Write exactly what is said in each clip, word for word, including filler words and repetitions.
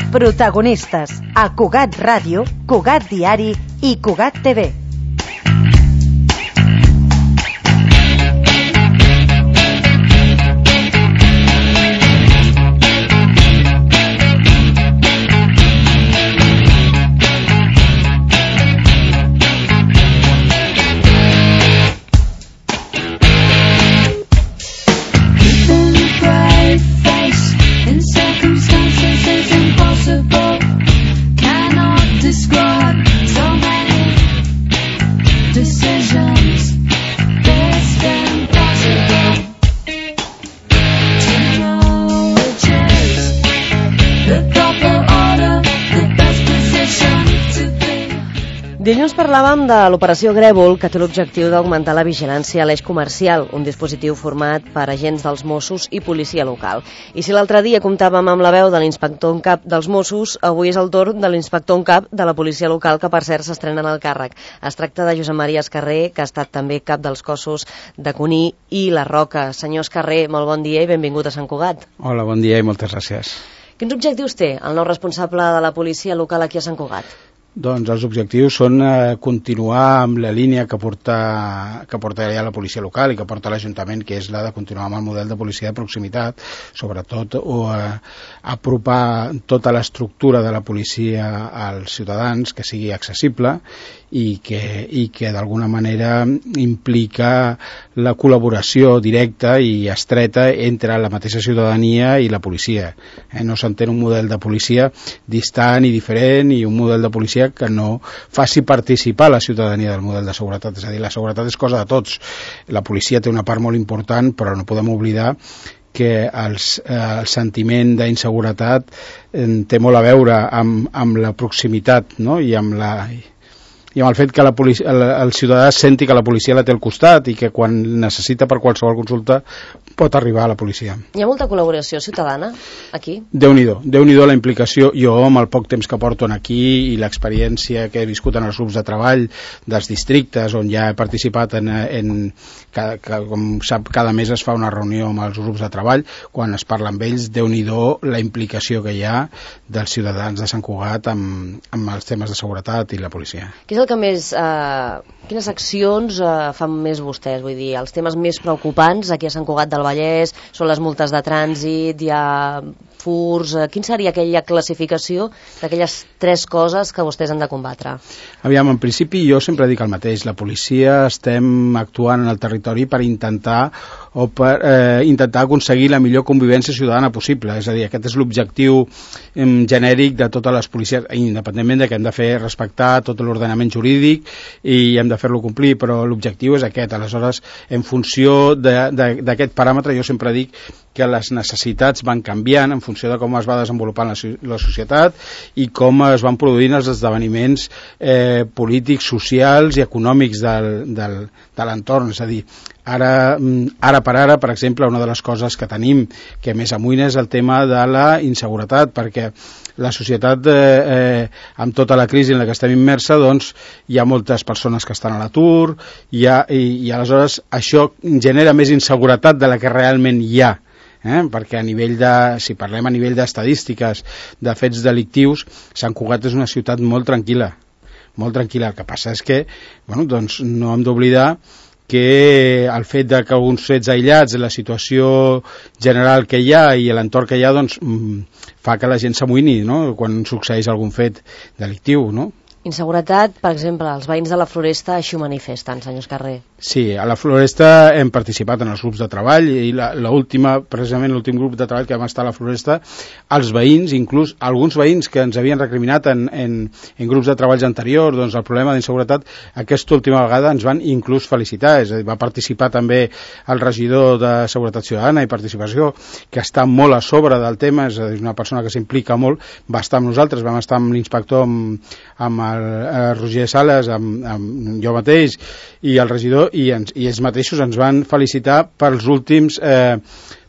Protagonistes a Cugat Ràdio, Cugat Diari i Cugat T V. Dilluns parlàvem de l'operació Grèvol, que té l'objectiu d'augmentar la vigilància a l'eix comercial, un dispositiu format per agents dels Mossos i policia local. I si l'altre dia comptàvem amb la veu de l'inspector en cap dels Mossos, avui és el torn de l'inspector en cap de la policia local, que per cert s'estrena en el càrrec. Es tracta de Josep Maria Escarré, que ha estat també cap dels cossos de Cuní i La Roca. Senyor Escarré, molt bon dia i benvingut a Sant Cugat. Hola, bon dia i moltes gràcies. Quins objectius té el nou responsable de la policia local aquí a Sant Cugat? Doncs els objectius són eh, continuar amb la línia que porta, que porta ja la policia local i que porta l'Ajuntament, que és la de continuar amb el model de policia de proximitat, sobretot o eh, apropar tota l'estructura de la policia als ciutadans, que sigui accessible i que, i que d'alguna manera implica la col·laboració directa i estreta entre la mateixa ciutadania i la policia. Eh, no s'entén un model de policia distant i diferent i un model de policia que no faci participar la ciutadania del model de seguretat. És a dir, la seguretat és cosa de tots. La policia té una part molt important, però no podem oblidar que els, eh, el sentiment d'inseguretat eh, té molt a veure amb, amb la proximitat, no? I amb la... i amb el fet que la policia, el, el ciutadà senti que la policia la té al costat i que quan necessita per qualsevol consulta pot arribar a la policia. Hi ha molta col·laboració ciutadana aquí? Déu-n'hi-do, Déu-n'hi-do la implicació. Jo, amb el poc temps que porto aquí i l'experiència que he viscut en els grups de treball dels districtes on ja he participat en, en que, que, com sap, cada mes es fa una reunió amb els grups de treball, quan es parla amb ells, Déu-n'hi-do la implicació que hi ha dels ciutadans de Sant Cugat amb, amb els temes de seguretat i la policia. Què és el que més... Eh, quines accions eh, fan més vostès? Vull dir, els temes més preocupants aquí a Sant Cugat del Vallès són les multes de trànsit, hi ha furs... Eh, quina seria aquella classificació d'aquelles tres coses que vostès han de combatre? Aviam, en principi jo sempre dic el mateix. La policia estem actuant en el territori per intentar o per eh, intentar aconseguir la millor convivència ciutadana possible. És a dir, aquest és l'objectiu eh, genèric de totes les policies, independentment de que hem de fer respectar tot l'ordenament jurídic i hem de fer-lo complir, però l'objectiu és aquest. Aleshores, en funció d'aquest paràmetre, jo sempre dic que les necessitats van canviant en funció de com es va desenvolupant la, la societat i com es van produint els esdeveniments eh, polítics, socials i econòmics del, del, de l'entorn. És a dir, ara, ara per ara, per exemple, una de les coses que tenim que més amunt és el tema de la inseguretat, perquè la societat, eh, eh, amb tota la crisi en la que estem immersa, doncs hi ha moltes persones que estan a l'atur i, i, i aleshores això genera més inseguretat de la que realment hi ha. Eh? Perquè a nivell de, si parlem a nivell d'estadístiques de fets delictius, Sant Cugat és una ciutat molt tranquil·la, molt tranquil·la. El que passa és que, bueno, doncs no hem d'oblidar que el fet de que alguns fets aïllats, la situació general que hi ha i l'entorn que hi ha, doncs fa que la gent s'amoïni, no?, quan succeeix algun fet delictiu, no? Inseguretat, per exemple, els veïns de la Floresta així ho manifesten, senyor Escarré. Sí, a la Floresta hem participat en els grups de treball i l'última, precisament l'últim grup de treball que vam estar a la Floresta, els veïns, inclús alguns veïns que ens havien recriminat en, en, en grups de treballs anteriors, doncs el problema d'inseguretat, aquesta última vegada ens van inclús felicitar, és a dir, va participar també el regidor de Seguretat Ciutadana i Participació, que està molt a sobre del tema, és a dir, una persona que s'implica molt, va estar amb nosaltres, vam estar amb l'inspector, amb, amb el eh, Roger Sales, amb, amb jo mateix i el regidor, i, ens, i ells mateixos ens van felicitar pels últims eh,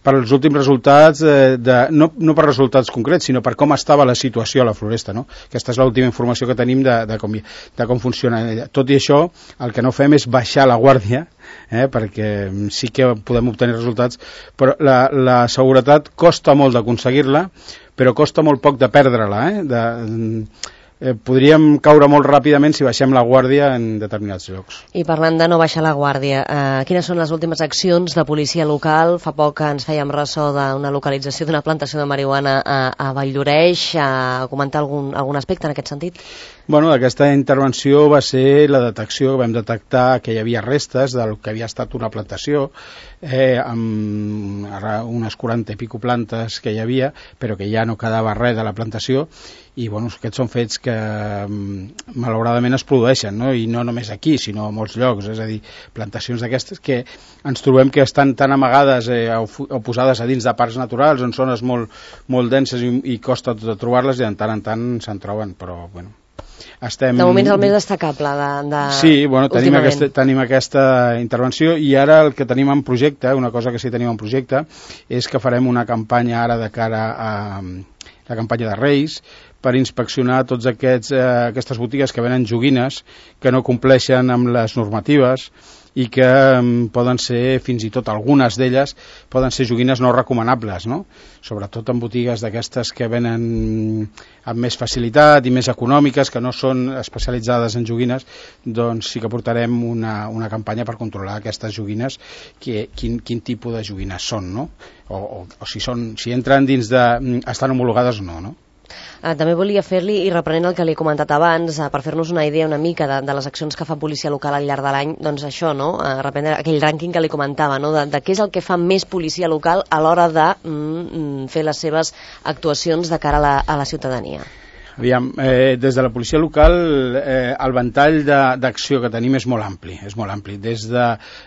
per als últims resultats, eh, de, no, no per resultats concrets, sinó per com estava la situació a la Floresta, no? Aquesta és l'última informació que tenim de, de, com, de com funciona. Tot i això, el que no fem és baixar la guàrdia eh, perquè sí que podem obtenir resultats, però la, la seguretat costa molt d'aconseguir-la, però costa molt poc de perdre-la, eh? de, eh, podríem caure molt ràpidament si baixem la guàrdia en determinats llocs. I parlant de no baixar la guàrdia, eh, quines són les últimes accions de policia local? Fa poc que ens fèiem ressò d'una localització d'una plantació de marihuana a, a Valldoreix, a comentar algun, algun aspecte en aquest sentit? Bueno, aquesta intervenció va ser la detecció, vam detectar que hi havia restes del que havia estat una plantació, eh, amb unes quaranta i pico plantes que hi havia, però que ja no quedava res de la plantació, i bueno, aquests són fets que malauradament es produeixen, no? I no només aquí, sinó a molts llocs, és a dir, plantacions d'aquestes que ens trobem que estan tan amagades eh, o, o posades a dins de parcs naturals, en zones molt, molt denses i, i costa tot de trobar-les, i de tant en tant se'n troben, però bueno. Estem... De moment és el més destacable de, de... Sí, bueno, tenim aquesta, tenim aquesta intervenció, i ara el que tenim en projecte, una cosa que sí tenim en projecte, és que farem una campanya ara de cara a la campanya de Reis, per inspeccionar tots aquests, eh, aquestes botigues que venen joguines que no compleixen amb les normatives i que um, poden ser, fins i tot algunes d'elles, poden ser joguines no recomanables, no? Sobretot en botigues d'aquestes que venen amb més facilitat i més econòmiques, que no són especialitzades en joguines, doncs sí que portarem una, una campanya per controlar aquestes joguines, que, quin, quin tipus de joguines són, no? O, o, o si, són, si entren dins de... estan homologades o no, no? Uh, també volia fer-li, i reprenent el que li he comentat abans, uh, per fer-nos una idea una mica de, de les accions que fa policia local al llarg de l'any, doncs això, no? Uh, reprendre aquell rànquing que li comentava, no? De, de què és el que fa més policia local a l'hora de mm, fer les seves actuacions de cara a la, a la ciutadania. Aviam, eh, des de la policia local eh, el ventall d'acció que tenim és molt ampli, és molt ampli. Des de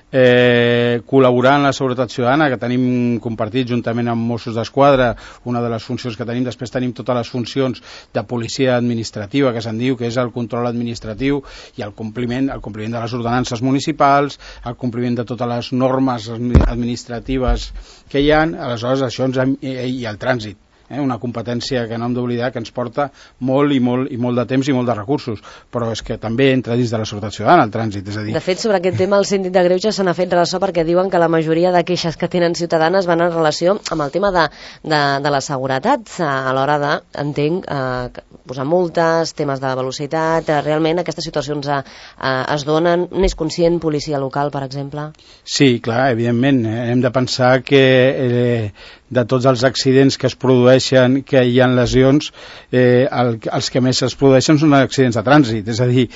eh, col·laborar en la seguretat ciutadana, que tenim compartit juntament amb Mossos d'Esquadra, una de les funcions que tenim, després tenim totes les funcions de policia administrativa, que se'n diu, que és el control administratiu i el compliment, el compliment de les ordenances municipals, el compliment de totes les normes administratives que hi ha, aleshores això ens, i el trànsit. Eh, una competència que no hem d'oblidar, que ens porta molt i molt i molt de temps i molt de recursos, però és que també entra dins de la seguretat ciutadana el trànsit, és a dir... De fet, sobre aquest tema el síndic de Greuges se n'ha fet ressò, perquè diuen que la majoria de queixes que tenen ciutadanes van en relació amb el tema de, de, de la seguretat, a l'hora de, entenc, eh, posar multes, temes de velocitat, eh, realment aquestes situacions eh, eh, es donen. N'és conscient policia local, per exemple? Sí, clar, evidentment, eh, hem de pensar que eh, de tots els accidents que es produeixen, que hi ha lesions, eh, el, els que més es produeixen són accidents de trànsit, és a dir,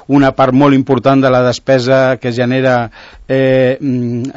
una part molt important de la despesa que genera eh,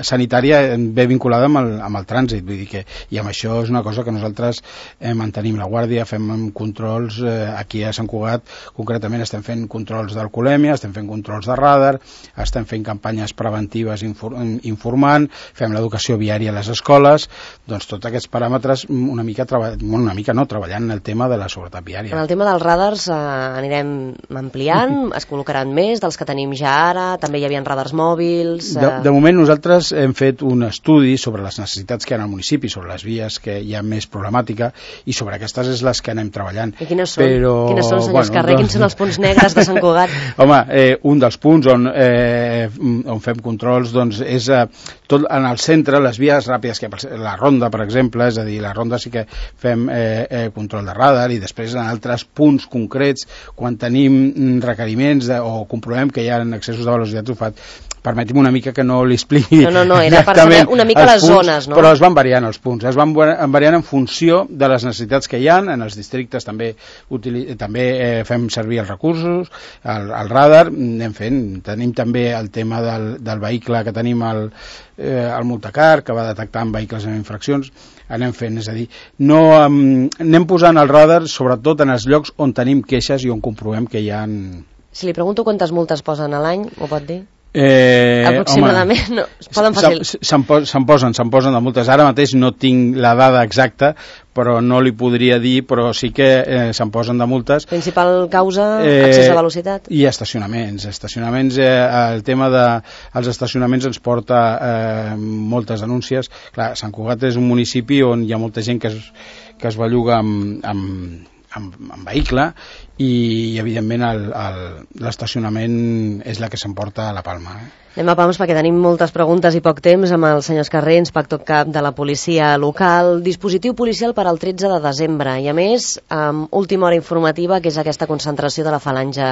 sanitària ve vinculada amb el, amb el trànsit, vull dir que, i amb això és una cosa que nosaltres eh, mantenim la guàrdia, fem controls, eh, aquí a Sant Cugat concretament estem fent controls d'alcoholèmia, estem fent controls de radar, estem fent campanyes preventives infor, informant, fem l'educació viària a les escoles, doncs tots aquests paràmetres una mica, una mica no, treballant en el tema de la seguretat viària. En el tema dels radars eh, anirem ampliant, es col·locaran més dels que tenim ja ara, també hi havia radars mòbils... Eh... De, de moment nosaltres hem fet un estudi sobre les necessitats que hi ha al municipi, sobre les vies que hi ha més problemàtica, i sobre aquestes és les que anem treballant. I quines són? Però, quines són, senyors bueno, Carrer? Quins són els punts negres de Sant Cugat? Home, eh, un dels punts on, eh, on fem controls doncs, és eh, tot en el centre, les vies ràpides, que la ronda, per exemple, és a dir, la ronda sí que fem eh, eh, control de radar, i després en altres punts concrets, quan tenim requeriments de, o comprovem que hi ha excessos de velocitat, ho fa. Permeti'm una mica que no li expliqui no, no, no, era per saber una mica les punts, zones, no? Però es van variant els punts, es van variant en funció de les necessitats que hi ha. En els districtes també, utili- també eh, fem servir els recursos, el, el radar, anem fent, tenim també el tema del, del vehicle que tenim al eh, el multacar, que va detectant vehicles amb infraccions, anem fent, és a dir, no, um, anem posant el radar sobretot en els llocs on tenim queixes i on comprovem que hi ha... Si li pregunto quantes multes posen a l'any, ho pot dir? Eh, aproximadament, home, no, es poden fàcil. Se'n se'n posen, se'n posen de multes. Ara mateix no tinc la dada exacta, però no li podria dir, però sí que eh, se'n posen de multes. Principal causa, eh, excés de velocitat? I estacionaments. Estacionaments, eh, el tema dels de, estacionaments ens porta eh, moltes denúncies. Clar, Sant Cugat és un municipi on hi ha molta gent que es, que es belluga amb, amb amb, amb vehicle i evidentment l'estacionament és la que s'emporta a la palma. Eh? Anem a pams perquè tenim moltes preguntes i poc temps amb el senyor Escarré, inspector cap de la policia local. Dispositiu policial per al tretze de desembre i a més amb última hora informativa, que és aquesta concentració de la falange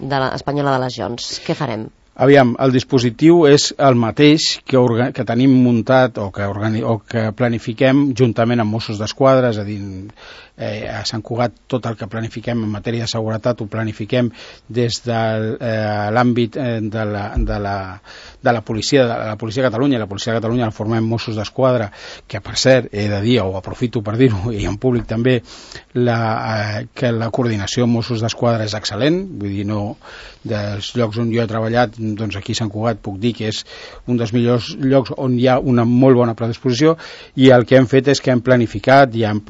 de la, espanyola de les Joncs. Què farem? Aviam, el dispositiu és el mateix que, orga, que tenim muntat o que, organi, o que planifiquem juntament amb Mossos d'Esquadra, és a dir, eh, a Sant Cugat tot el que planifiquem en matèria de seguretat ho planifiquem des de eh, l'àmbit eh, de, la, de, la, de la policia de la policia de Catalunya, i la policia de Catalunya la formem Mossos d'Esquadra, que per cert he de dir, o aprofito per dir-ho, i en públic també, la, eh, que la coordinació amb Mossos d'Esquadra és excel·lent, vull dir, no, dels llocs on jo he treballat, doncs aquí a Sant Cugat puc dir que és un dels millors llocs on hi ha una molt bona predisposició, i el que hem fet és que hem planificat i hem,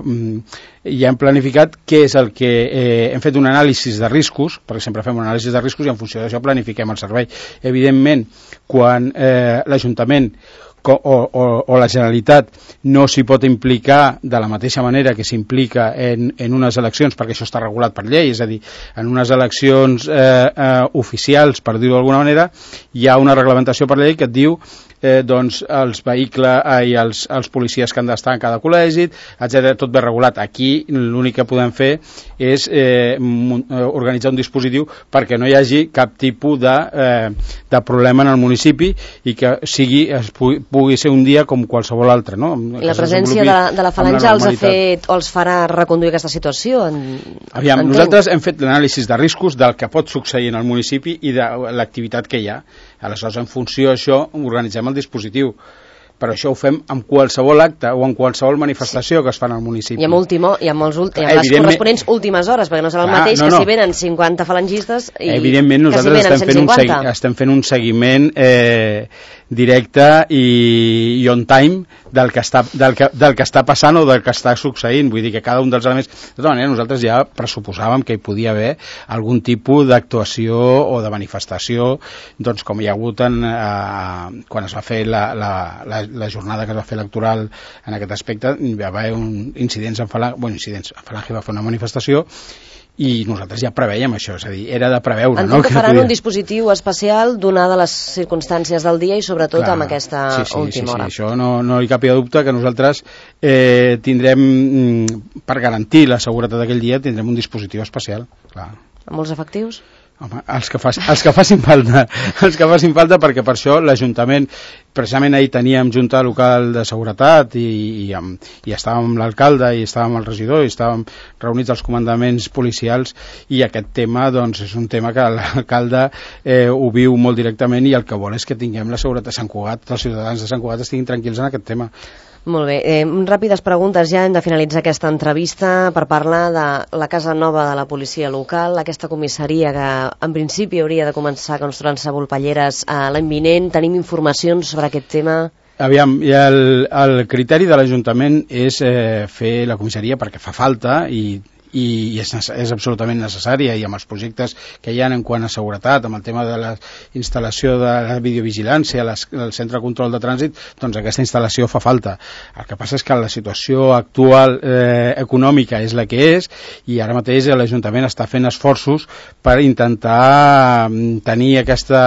i hem planificat què és el que eh, hem fet un anàlisi de riscos, perquè sempre fem un anàlisi de riscos i en funció d'això planifiquem el servei. Evidentment, quan eh, l'Ajuntament O, o, o la Generalitat no s'hi pot implicar de la mateixa manera que s'implica en, en unes eleccions, perquè això està regulat per llei, és a dir, en unes eleccions eh, eh, oficials, per dir-ho d'alguna manera, hi ha una reglamentació per llei que et diu eh, doncs els vehicles eh, i els, els policies que han d'estar en cada col·legi, etcètera, tot ben regulat. Aquí l'únic que podem fer és eh, organitzar un dispositiu perquè no hi hagi cap tipus de, eh, de problema en el municipi i que sigui, es pugui, pugui ser un dia com qualsevol altre. No? I la presència de, de la falange els ha fet o els farà reconduir aquesta situació? En, Aviam, nosaltres hem fet l'anàlisi de riscos del que pot succeir en el municipi i de l'activitat que hi ha. Aleshores, en funció d'això, organitzem el dispositiu. Però això ho fem amb qualsevol acte o en qualsevol manifestació que es fa al municipi. I amb, último, i amb, els, i amb les corresponents últimes hores, perquè no serà el ah, mateix no, que no. si venen cinquanta falangistes i evidentment nosaltres que si estem, fent un segui, estem fent un seguiment eh, directe i, i on time del que, està, del, que, del que està passant o del que està succeint. Vull dir que cada un dels elements... De tota manera, nosaltres ja pressuposàvem que hi podia haver algun tipus d'actuació o de manifestació, doncs com hi ha hagut en, eh, quan es va fer la, la, la, la jornada que es va fer electoral en aquest aspecte, hi va haver un incidents en Falange, bueno, incidents, en Falange va fer una manifestació i nosaltres ja preveiem això, és a dir, era de preveure. Entenc no? que faran podia... un dispositiu especial donada les circumstàncies del dia i sobretot Clar, amb aquesta sí, sí, última sí, hora. Sí, això no, no hi capia dubte que nosaltres eh, tindrem, per garantir la seguretat d'aquell dia, tindrem un dispositiu especial. Clar. Amb molts efectius? Home, els que, faci, els que facin falta, els que facin falta, perquè per això l'Ajuntament, precisament ahir teníem Junta Local de Seguretat i, i, amb, i estàvem amb l'alcalde i estàvem amb el regidor i estàvem reunits als comandaments policials i aquest tema doncs, és un tema que l'alcalde eh, ho viu molt directament i el que vol és que tinguem la seguretat de Sant Cugat, els ciutadans de Sant Cugat estiguin tranquils en aquest tema. Molt bé, eh, ràpides preguntes ja, hem de finalitzar aquesta entrevista per parlar de la Casa Nova de la policia local, aquesta comissaria que en principi hauria de començar construint-se volpelleres eh, l'any vinent. Tenim informacions sobre aquest tema? Aviam, i el, el criteri de l'Ajuntament és eh, fer la comissaria perquè fa falta i i és, és absolutament necessària i amb els projectes que hi ha en quant a seguretat, amb el tema de la instal·lació de la videovigilància, les, el centre de control de trànsit, doncs aquesta instal·lació fa falta. El que passa és que la situació actual eh, econòmica és la que és i ara mateix l'Ajuntament està fent esforços per intentar tenir aquesta,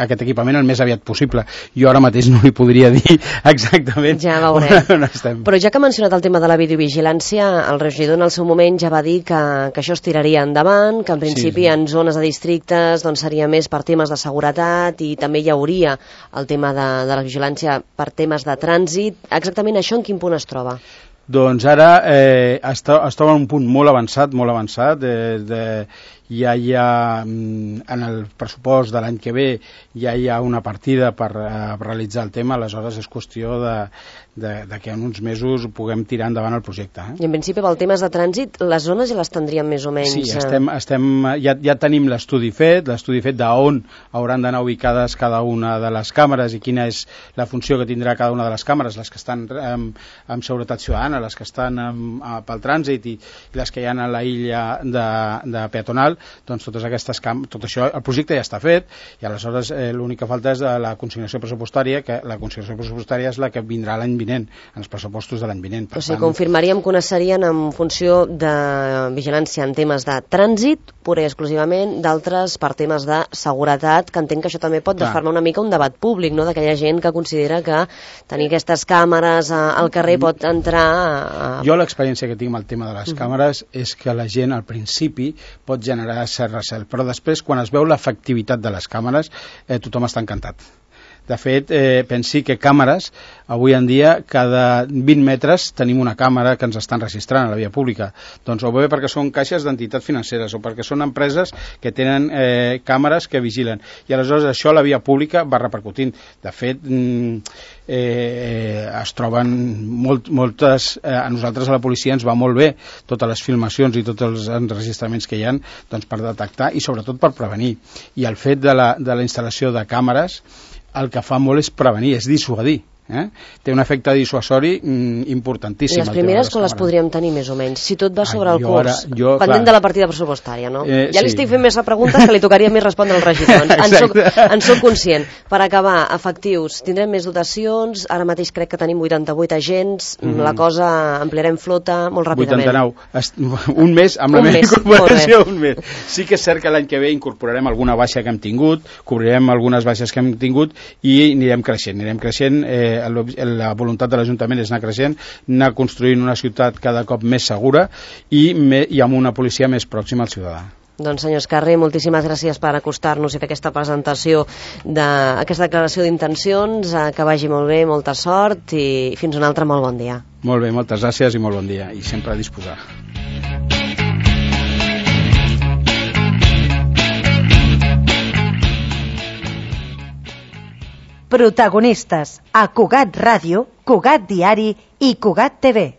aquest equipament el més aviat possible. Jo ara mateix no li podria dir exactament ja veurem. on estem. Però ja que ha mencionat el tema de la videovigilància, el regidor en el seu moment ja va dir Que, que això es tiraria endavant, que en principi sí, sí. en zones de districtes doncs, seria més per temes de seguretat i també hi hauria el tema de, de la vigilància per temes de trànsit. Exactament això en quin punt es troba? Doncs ara eh, es, to, es troba en un punt molt avançat, molt avançat, de, de, ja hi ha, en el pressupost de l'any que ve, ja hi ha una partida per uh, realitzar el tema, aleshores és qüestió de, de, de que en uns mesos puguem tirar endavant el projecte. Eh? I en principi pel temes de trànsit, les zones ja les tindríem més o menys... Sí, estem, estem, ja, ja tenim l'estudi fet, l'estudi fet d'on hauran d'anar ubicades cada una de les càmeres i quina és la funció que tindrà cada una de les càmeres, les que estan amb, amb seguretat ciutadana, les que estan amb, amb, pel trànsit i, i les que hi ha a la illa de, de peatonal, doncs totes aquestes cam tot això, el projecte ja està fet, i aleshores eh, l'únic que falta és la consignació pressupostària, que la consignació pressupostària és la que vindrà l'any vinent, en els pressupostos de l'any vinent. Per o sigui, tant... confirmaríem que una serien en funció de vigilància en temes de trànsit, pura i exclusivament, d'altres per temes de seguretat, que entenc que això també pot Clar. desfermar una mica un debat públic, no?, d'aquella gent que considera que tenir aquestes càmeres al carrer pot entrar... A... Jo l'experiència que tinc amb el tema de les uh -huh. càmeres és que la gent al principi pot generar cert recel, però després quan es veu l'efectivitat de les càmeres eh, tothom està encantat. De fet, eh, pensi que càmeres, avui en dia, cada vint metres tenim una càmera que ens estan registrant a la via pública. Doncs o bé perquè són caixes d'entitats financeres o perquè són empreses que tenen eh, càmeres que vigilen. I aleshores això a la via pública va repercutint. De fet, mm, eh, es troben molt, moltes... Eh, a nosaltres a la policia ens va molt bé totes les filmacions i tots els enregistraments que hi ha, doncs, per detectar i sobretot per prevenir. I el fet de la, de la instal·lació de càmeres el que fa molt és prevenir, és dissuadir. Eh? Té un efecte dissuasori mm, importantíssim. I les primeres quan les podríem tenir més o menys? Si tot va sobre Ai, el curs, ara, jo, pendent clar. de la partida pressupostària, no? Eh, ja li sí. estic fent més preguntes que li tocaria més respondre als regidors. En soc, en soc conscient. Per acabar, efectius, tindrem més dotacions, ara mateix crec que tenim vuitanta-vuit agents, mm -hmm. la cosa ampliarem flota molt ràpidament. vuitanta-nou, un mes amb la un meva mes. incorporació, un mes. Sí que és cert que l'any que ve incorporarem alguna baixa que hem tingut, cobrirem algunes baixes que hem tingut i anirem creixent, anirem creixent, eh, la voluntat de l'Ajuntament és anar creixent, anar construint una ciutat cada cop més segura i, me, i amb una policia més pròxima al ciutadà. Doncs senyor Escarri, moltíssimes gràcies per acostar-nos i fer aquesta presentació d'aquesta declaració d'intencions, que vagi molt bé, molta sort i fins un altre molt bon dia. Molt bé, moltes gràcies i molt bon dia i sempre a disposar. Protagonistes a Cugat Ràdio, Cugat Diari i Cugat T V.